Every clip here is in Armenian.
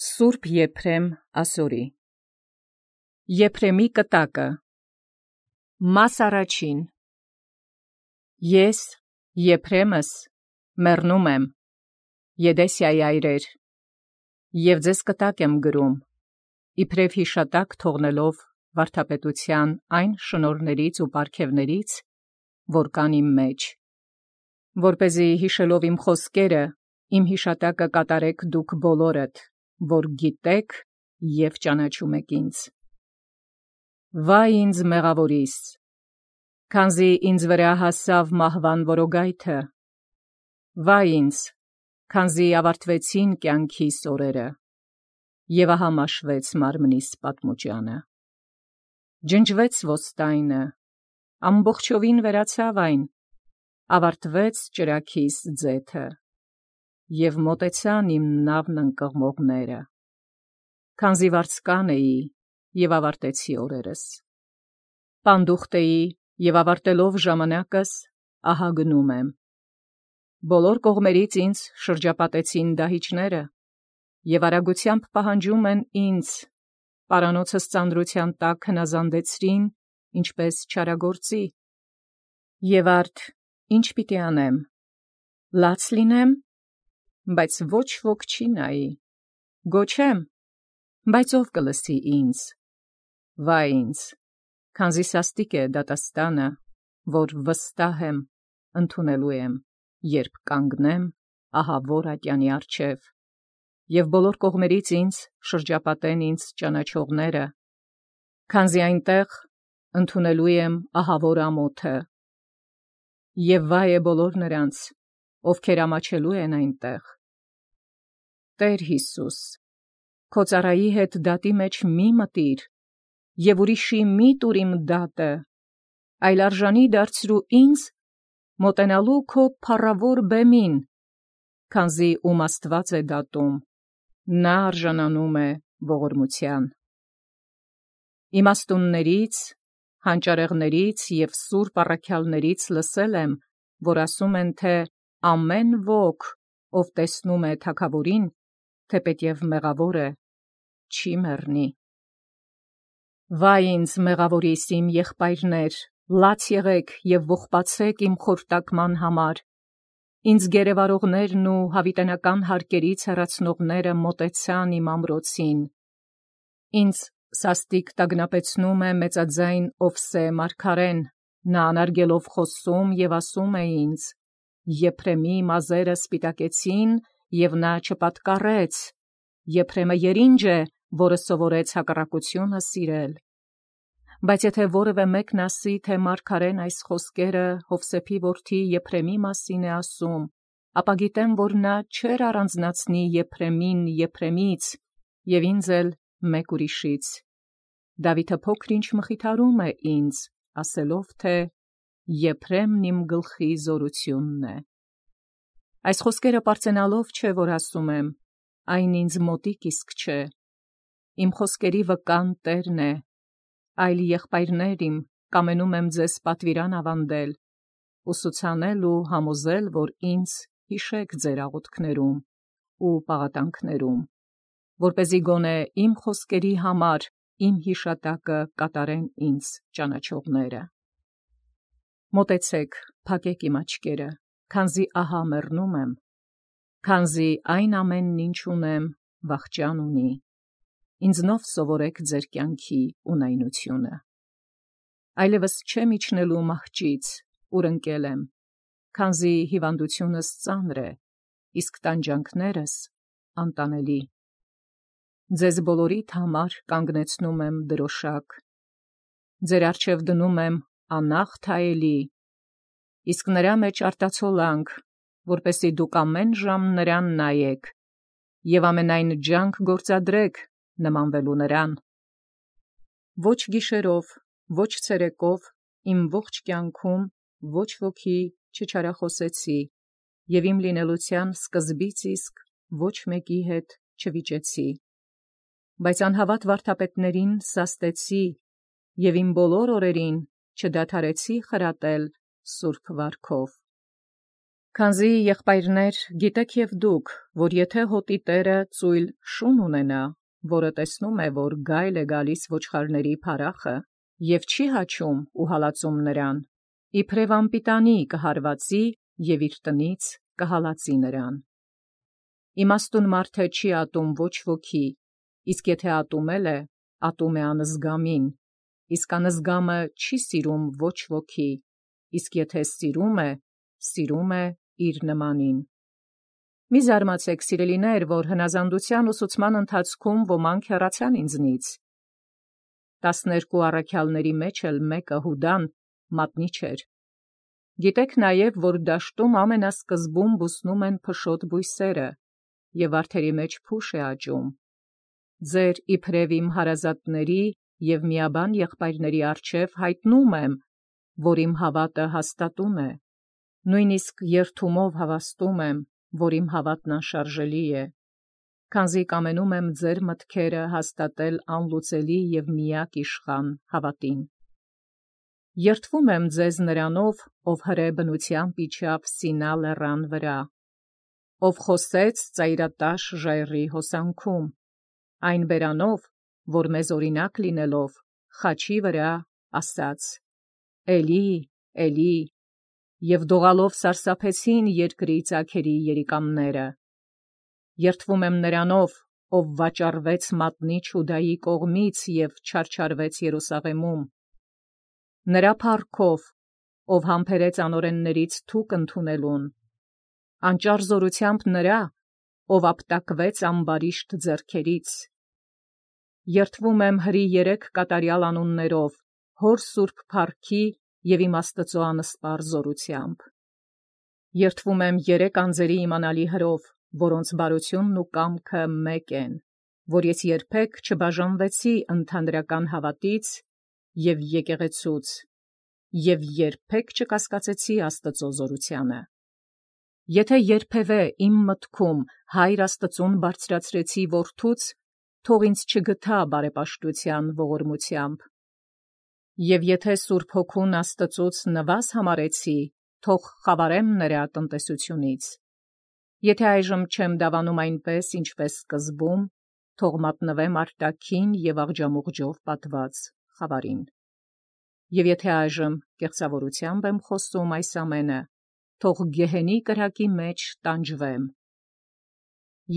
Սուրբ Եփրեմ ասորի Եփրեմի կտակը Մաս առաջին Ես Եփրեմս մեռնում եմ Եդեսիայի այրեր և ձեզ կտակ եմ գրում իբրև հիշատակ թողնելով վարդապետության այն շնորհներից ու պարգևներից որ կան իմ մեջ որպեսզի հիշելով իմ խոսքերը իմ հիշատակը կատարեք դուք բոլորդ որ գիտեք և ճանաչում եք ինձ։ Վայ ինձ մեղավորիս, քանզի ինձ վրա հասավ մահվան որոգայթը, վայ ինձ, քանզի ավարտվեցին կյանքիս օրերը, և ահա մաշվեց մարմնիս պատմուճանը։ Ջնջվեց ոստայնը, ամբողջովին վերացավ այն, ավարտվեց ճրագիս ձեթը, և մոտեցան իմ նավն ընկղմողները, քանզի վարձկան էի և ավարտեցի օրերս։ Պանդուխտ էի և ավարտելով ժամանակս, ահա գնում եմ։ Բոլոր կողմերից ինձ շրջապատեցին դահիճները և արագությամբ պահանջում են ինձ, պարանոցս ծանրության տակ հնազանդեցրին, ինչպես չարագործի։ Եվ արդ ի՞նչ պիտի անեմ, լաց լինեմ, բայց ոչ ոք չի նայի, գոչեմ, բայց ով կլսի ինձ, վայ ինձ, քանզի սաստիկ է դատաստանը, որ վստահ եմ, ընդունելու եմ, երբ կանգնեմ ահավոր ատյանի առջև, և բոլոր կողմերից ինձ շրջապատեն ինձ ճանաչողները, քանզի այնտեղ ընդունելու եմ ահավոր ամոթը, և վայ է բոլոր նրանց, ովքեր ամաչելու են այնտեղ։ Տեր Հիսուս, քո ծառայի հետ դատի մեջ մի մտիր, և ուրիշի մի տուր իմ դատը, այլ արժանի դարձրու ինձ մոտենալու քո փառավոր բեմին, քանզի ում Աստված է դատում, նա արժանանում է ողորմության։ Իմաստուններից, հանճարեղներից և սուրբ առաքյալներից լսել եմ, որ ասում են, թե ամեն ոք, ով տեսնում է թագավորին, թեպետև մեղավոր է, չի մեռնի։ Վայ ինձ մեղավորիս իմ եղբայրներ, լաց եղեք և ողբացեք իմ խորտակման համար, ինձ գերեվարողներն ու հավիտենական հարկերից հեռացնողները մոտեցան իմ ամրոցին, ինձ սաստիկ տագնապեցնում է մեծաձայն Ովսե մարգարեն, նա անարգելով խոսում և ասում է ինձ. Եփրեմի մազերը սպիտակեցին, և նա չպատկառեց, Եփրեմը երինջ է, որը սովորեց հակառակությունը սիրել։ Բայց եթե որևէ մեկն ասի, թե մարգարեն այս խոսքերը Յովսեփի որդի Եփրեմի մասին է ասում, ապա գիտեմ, որ նա չէր առանձնացնի Եփրեմին Եփրեմից, և ինձ էլ մեկ ուրիշից։ Դավիթը փոքր-ինչ մխիթարում է ինձ, ասելով, թե Եփրեմն իմ գլխի զորությունն է։ Այս խոսքերը պարծենալով չէ, որ ասում եմ, այն ինձ մոտիկ իսկ չէ, իմ խոսքերի վկան Տերն է, այլ եղբայրներ իմ, կամենում եմ ձեզ պատվիրան ավանդել, ուսուցանել ու համոզել, որ ինձ հիշեք ձեր աղոթքներում ու պաղատանքներում, որպեսզի գոնե իմ խոսքերի համար իմ հիշատակը կատարեն ինձ ճանաչողները։ Մոտեցեք, փակեք իմ աչքերը, քանզի ահա մեռնում եմ, քանզի այն ամենն ինչ ունեմ վախճան ունի, ինձնով սովորեք ձեր կյանքի ունայնությունը։ Այլևս չեմ իջնելու մահճից, ուր ընկել եմ, քանզի հիվանդությունս ծանր է, իսկ տանջանքներս անտանելի։ Ձեզ բոլորիդ համար կանգնեցնում եմ դրոշակ, ձեր առջև դնում եմ անախտ հայելի, իսկ նրա մեջ արտացոլանք, որպեսզի դուք ամեն ժամ նրան նայեք և ամենայն ջանք գործադրեք նմանվելու նրան։ Ոչ գիշերով, ոչ ցերեկով իմ ողջ կյանքում ոչ ոքի չչարախոսեցի, և իմ լինելության սկզբից իսկ ոչ մեկի հետ չվիճեցի, բայց անհավատ վարդապետներին սաստեցի և իմ բոլոր օրերին չդադարեցի խրատել սուրբ վարքով։ Քանզի եղբայրներ գիտեք և դուք, որ եթե հոտի տերը ծույլ շուն ունենա, որը տեսնում է, որ գայլ է գալիս ոչխարների փարախը, և չի հաչում ու հալածում նրան, իբրև անպիտանի կհարվածի և իր տնից կհալածի նրան։ Իմաստուն մարդը չի ատում ոչ ոքի, իսկ եթե ատումել է, ատում է անզգամին, իսկ անզգամը չի սիրում ոչ ոքի, իսկ եթե սիրում է իր նմանին։ Մի զարմացեք, սիրելիներ, որ հնազանդության ուսուցման ընթացքում ոմանք հեռացան ինձնից։ 12 առաքյալների մեջ էլ մեկը Հուդան մատնի չէր։ Գիտեք նաև, որ դաշտում ամենասկզբում բուսնում են փշոտ բույսերը, և վարդերի մեջ փուշ է աճում։ Ձեր իբրև իմ հարազատների և միաբան եղբայրների առջև հայտնում եմ, որ իմ հավատը հաստատուն է։ Նույնիսկ երդումով հավաստում եմ, որ իմ հավատն անշարժելի է, քանզի կամենում եմ ձեր մտքերը հաստատել անլուծելի և միակ իշխան հավատին։ Երդվում եմ ձեզ նրանով, ով հրե բնությամբ իջավ Սինա լեռան վրա, ով խոսեց ծայրատաշ ժայռի հոսանքում, այն բերանով, որ մեզ օրինակ լինելով, խաչի վրա ասաց. «Էլի, Էլի», և դողալով սարսափեցին երկրի ծագերի երիկամները։ Երդվում եմ նրանով, ով վաճառվեց մատնի Չուդայի կողմից և չարչարվեց Երուսաղեմում, նրա փառքով, ով համբերեց անօրեններից թուք ընդունելուն, անճար զորությամբ նրա, ով ապտակվեց ամբարիշտ ձեռքերից։ Երդվում եմ հրի 3 կատարյալ անուններով, հոր սուրբ փառքի և իմ Աստծու անսպառ զորությամբ։ Երդվում եմ 3 անձերի իմանալի հրով, որոնց բարությունն ու կամքը մեկ են, որ ես երբեք չբաժանվեցի ընդհանրական հավատից և եկեղեցուց, և երբեք չկասկածեցի Աստծու զորությանը։ Եթե երբևէ իմ մտքում Հայր Աստծուն բարձրացրեցի որդուց, թող ինձ չգթա բարեպաշտության ողորմությամբ։ Եվ եթե Սուրբ Հոգուն Աստծուց նվազ համարեցի, թող խավարեմ նրա տնտեսությունից։ Եթե այժմ չեմ դավանում այնպես, ինչպես սկզբում, թող մատնվեմ արտաքին և աղջամուղջով պատված խավարին։ Եվ եթե այժմ կեղծավորությամբ եմ խոսում այս ամենը, թող գեհենի կրակի մեջ տանջվեմ։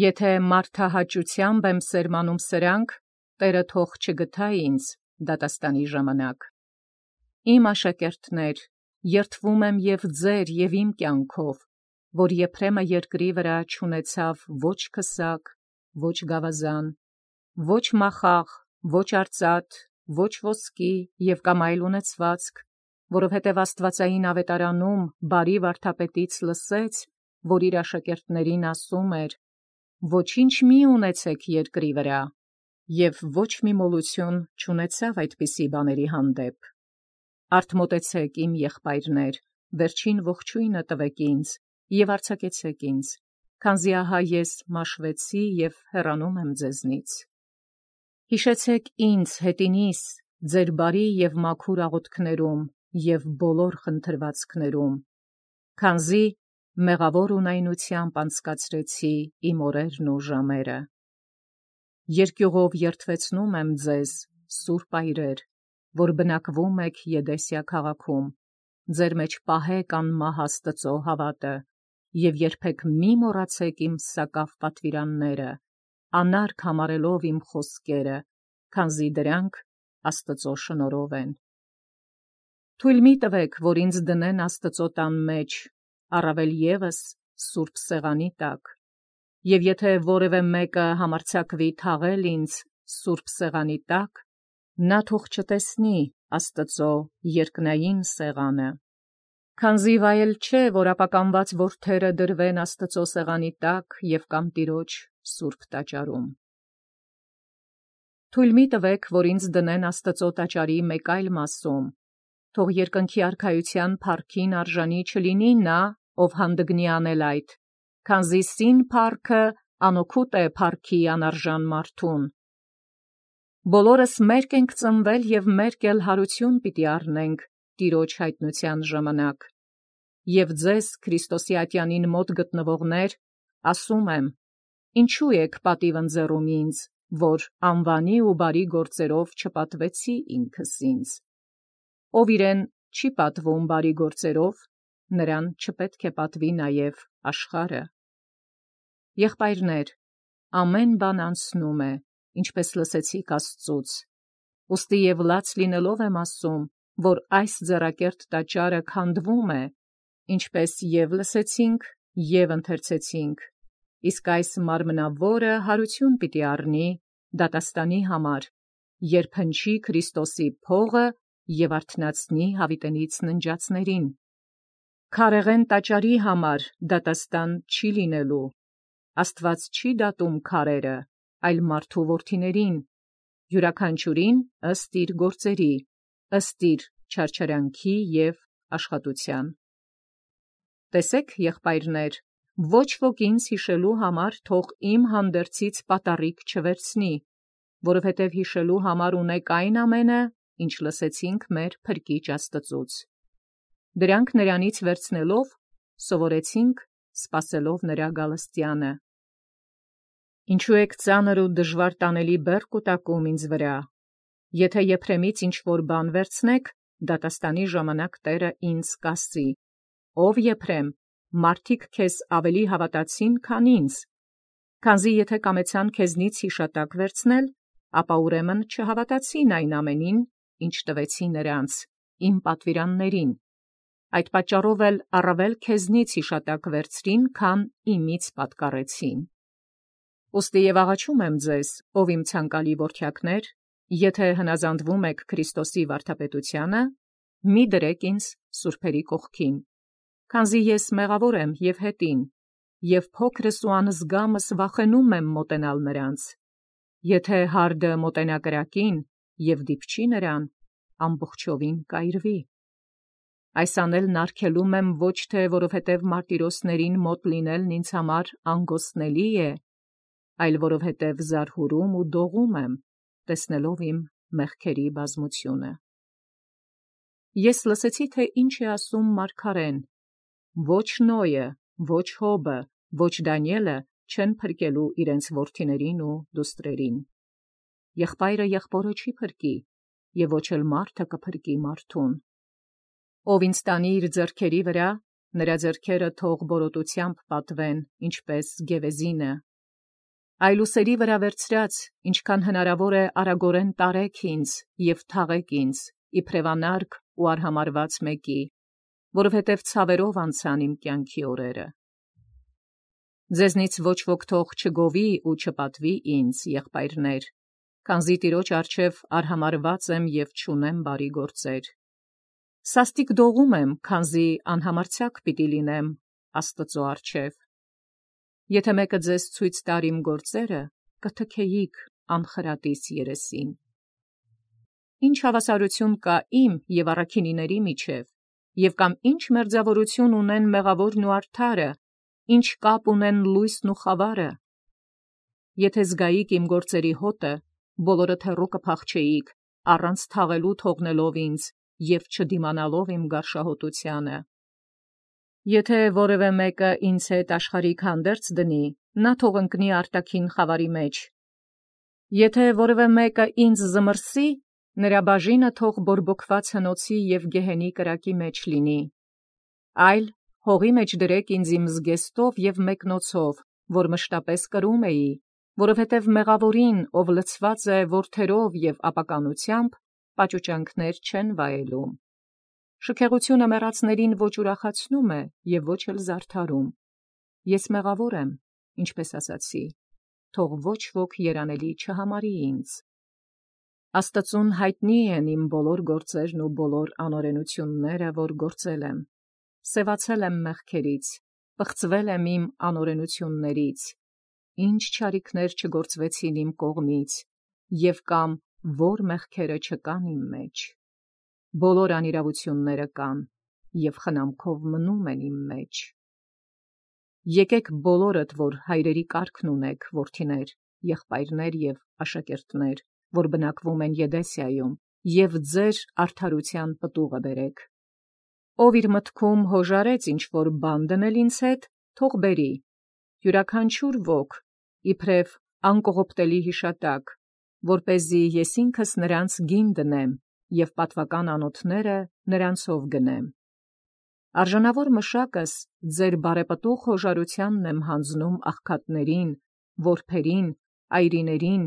Եթե մարդահաճությամբ եմ սերմանում սրանք, Տերը թող չգթա ինձ դատաստանի ժամանակ։ Իմ աշակերտներ, երդվում եմ և ձեր և իմ կյանքով, որ Եփրեմը երկրի վրա չունեցավ ոչ քսակ, ոչ գավազան, ոչ մախաղ, ոչ արծաթ, ոչ ոսկի և կամ այլ ունեցվածք, որովհետև աստվածային ավետարանում բարի վարդապետից լսեց, որ իր աշակերտներին ասում էր. «Ոչինչ մի ունեցեք երկրի վրա», և ոչ մի մոլություն չունեցավ այդպիսի բաների հանդեպ։ Արդ մոտեցեք, իմ եղբայրներ, վերջին ողջույնը տվեք ինձ և արձակեցեք ինձ, քանզի ահա ես մաշվեցի և հեռանում եմ ձեզնից։ Հիշեցեք ինձ հետինիս ձեր բարի և մաքուր աղոթքներում և բոլոր խնդրվածքներում, քանզի մեղավոր ունայնությամբ անցկացրեցի իմ օրերն ու ժամերը։ Երկյուղով երդվեցնում եմ ձեզ, սուրբ այրեր, որ բնակվում եք Եդեսիա քաղաքում, ձեր մեջ պահեք անմահ Աստծու հավատը և երբեք մի մոռացեք իմ սակավ պատվիրանները, անարգ համարելով իմ խոսքերը, քանզի դրանք Աստծու շնորհով են։ Թույլ մի տվեք, որ ինձ դնեն Աստծու տան մեջ, առավել ևս սուրբ սեղանի տակ, և եթե որևէ մեկը համարձակվի թաղել ինձ սուրբ սեղանի տակ, նա թող չտեսնի Աստծու երկնային սեղանը։ Քանզի վայել չէ, որ ապականված որդերը դրվեն Աստծու սեղանի տակ և կամ Տիրոջ սուրբ տաճարում։ Թույլ մի տվեք, որ ինձ դնեն Աստծու տաճարի մեկ այլ մասում, թող երկնքի արքայության փառքին արժանի չլինի նա, ով հանդգնի անել այդ, քանզի սին փառքը անօգուտ է փառքի անարժան մարդուն։ Բոլորս մերկ ենք ծնվել և մերկ էլ հարություն պիտի առնենք Տիրոջ հայտնության ժամանակ։ Եվ ձեզ Քրիստոսի ատյանին մոտ գտնվողներ, ասում եմ, ինչու եք պատիվ ընձեռում ինձ, որ անվանի ու բարի գործերով չպատվեցի ինքս ինձ։ Ով իրեն չի պատվում բարի գործերով, նրան չպետք է պատվի նաև աշխարհը։ Եղբայրներ, ամեն բան անցնում է, ինչպես լսեցիք Աստծուց։ Ուստի և լաց լինելով եմ ասում, որ այս ձեռակերտ տաճարը քանդվում է, ինչպես և լսեցինք, և ընթերցեցինք, իսկ այս մարմնավորը հարություն պիտի առնի դատաստանի համար, երբ հնչի Քրիստոսի փողը և արթնացնի հավիտենից ննջածներին։ Քարեղեն տաճարի համար դատաստան չի լինելու, Աստված չի դատում քարերը, այլ մարդու որդիներին, յուրաքանչյուրին ըստ իր գործերի, ըստ իր չարչարանքի և աշխատության։ Տեսեք, եղբայրներ, ոչ ոք ինձ հիշելու համար թող իմ հանդերձից պատառիկ չվերցնի, որովհետև հիշելու համար ունեք այն ամենը, ինչ լսեցինք մեր Փրկիչ Աստծուց։ Դրանք նրանից վերցնելով, սովորեցինք, սպասելով նրա գալստյանը։ Ինչու եք ծանր ու դժվար տանելի բեռ կուտակում ինձ վրա։ Եթե Եփրեմից ինչ-որ բան վերցնեք, դատաստանի ժամանակ Տերը ինձ կասի. «Ով Եփրեմ, մարդիկ քեզ ավելի հավատացին, քան ինձ։ Քանզի եթե կամեցան քեզնից հիշատակ վերցնել, ապա ուրեմն չհավատացին այն ամենին, ինչ տվեցի նրանց, իմ պատվիրաններին։ Այդ պատճառով էլ առավել քեզնից հիշատակ վերցրին, քան իմից պատկառեցին։ Ուստի և աղաչում եմ ձեզ, ով իմ ցանկալի որդյակներ, եթե հնազանդվում եք Քրիստոսի վարդապետությանը, մի դրեք ինձ սուրբերի կողքին, քանզի ես մեղավոր եմ և հետին, և փոքրս ու անզգամս վախենում եմ մոտենալ նրանց։ Եթե հարդը մոտենա կրակին և դիպչի նրան, ամբողջովին կայրվի։ Այս անելն արգելում եմ ոչ թե որովհետև մարտիրոսներին մոտ լինելն ինձ համար անգոստելի է, այլ որովհետև զարհուրում ու դողում եմ, տեսնելով իմ մեղքերի բազմությունը։ Ես լսեցի, թե ինչ է ասում մարգարեն. ոչ Նոյը, ոչ Հոբը, ոչ Դանիելը չեն փրկելու իրենց որդիներին ու դուստրերին։ Եղբայրը եղբորը չի փրկի, և ոչ էլ մարդը կփրկի մարդուն։ Ով ինձ տանի իր ձեռքերի վրա, նրա ձեռքերը թող բորոտությամբ պատվեն, ինչպես գևեզինը։ Այլ ուսերի վրա վերցրած, ինչքան հնարավոր է արագորեն տարեք ինձ և թաղեք ինձ, իբրև անարգ ու արհամարհված մեկի, որովհետև ցավերով անցան իմ կյանքի օրերը։ Ձեզնից ոչ ոք թող չգովի ու չպատվի ինձ, եղբայրներ, քանզի Տիրոջ առջև արհամարհված եմ և չունեմ բարի գործեր։ Սաստիկ դողում եմ, քանզի անհամարձակ պիտի լինեմ Աստծո առջև։ Եթե մեկը ձեզ ցույց տար իմ գործերը, կթքեիք անխրատից երեսին։ Ինչ հավասարություն կա իմ և առաքինիների միջև, և կամ ինչ մերձավորություն ունեն մեղավորն ու արդարը, ինչ կապ ունեն լույսն ու խավարը։ Եթե զգայիք իմ գործերի հոտը, բոլորդ հեռու կփախչեիք, առանց թաղելու թողնելով ինձ և չդիմանալով իմ գարշահոտությանը։ Եթե որևէ մեկը ինձ հետ աշխարհիկ հանդերձ դնի, նա թող ընկնի արտաքին խավարի մեջ։ Եթե որևէ մեկը ինձ զմռսի, նրա բաժինը թող բորբոքված հնոցի և գեհենի կրակի մեջ լինի։ Այլ հողի մեջ դրեք ինձ իմ զգեստով և մեկնոցով, որ մշտապես կրում էի, որովհետև մեղավորին, ով լցված է որդերով և ապականությամբ, պաճուճանքներ չեն վայելում։ Շքեղությունը մեռածներին ոչ ուրախացնում է և ոչ էլ զարդարում։ Ես մեղավոր եմ, ինչպես ասացի, թող ոչ ոք երանելի չհամարի ինձ։ Աստծուն հայտնի են իմ բոլոր գործերն ու բոլոր անօրենությունները, որ գործել եմ։ Սևացել եմ մեղքերից, պղծվել եմ իմ անօրենություններից, ինչ չարիքներ չգործվեցին իմ կողմից, և կամ որ մեղքերը չկան իմ մեջ։ Բոլոր անիրավությունները կան, և խնամքով մնում են իմ մեջ։ Եկեք բոլորդ, որ հայրերի կարգն ունեք, որդիներ, եղբայրներ և աշակերտներ, որ բնակվում են Եդեսիայում, և ձեր արդարության պտուղը բերեք։ ով իր մտքում հոժարեց ինչ-որ բան դնել ինձ հետ, թող բերի, յուրաքանչյուր ոք, իբրև անկողոպտելի յիշատակ, որպեսզի ես ինքս նրանց գին դնեմ և պատվական անոթները նրանցով գնեմ։ Արժանավոր մշակս ձեր բարեպտուղ հոժարությանն եմ հանձնում աղքատներին, որբերին, այրիներին,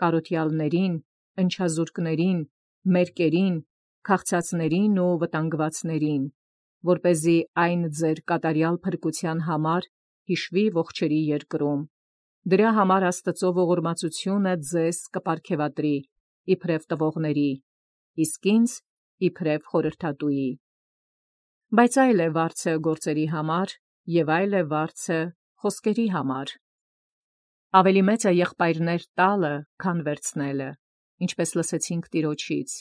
կարոտյալներին, ընչազուրկներին, մերկերին, քաղցածներին ու վտանգվածներին, որպեսզի այն ձեր կատարյալ փրկության համար հիշվի ողջերի երկրում։ Դրա համար Աստուծո ողորմածությունը ձեզ կպարգևատրի իբրև տվողների, իսկ ինձ իբրև խորհրդատուի։ Բայց այլ է վարձը գործերի համար, և այլ է վարձը խոսքերի համար։ Ավելի մեծ է եղբայրներ տալը, քան վերցնելը, ինչպես լսեցինք Տիրոջից։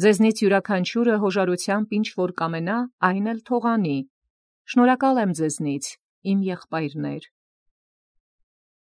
Ձեզնից յուրաքանչյուրը հոժարությամբ ինչ որ կամենա, այն էլ թողանի։ Շնորհակալ եմ ձեզնից, իմ եղբայրներ։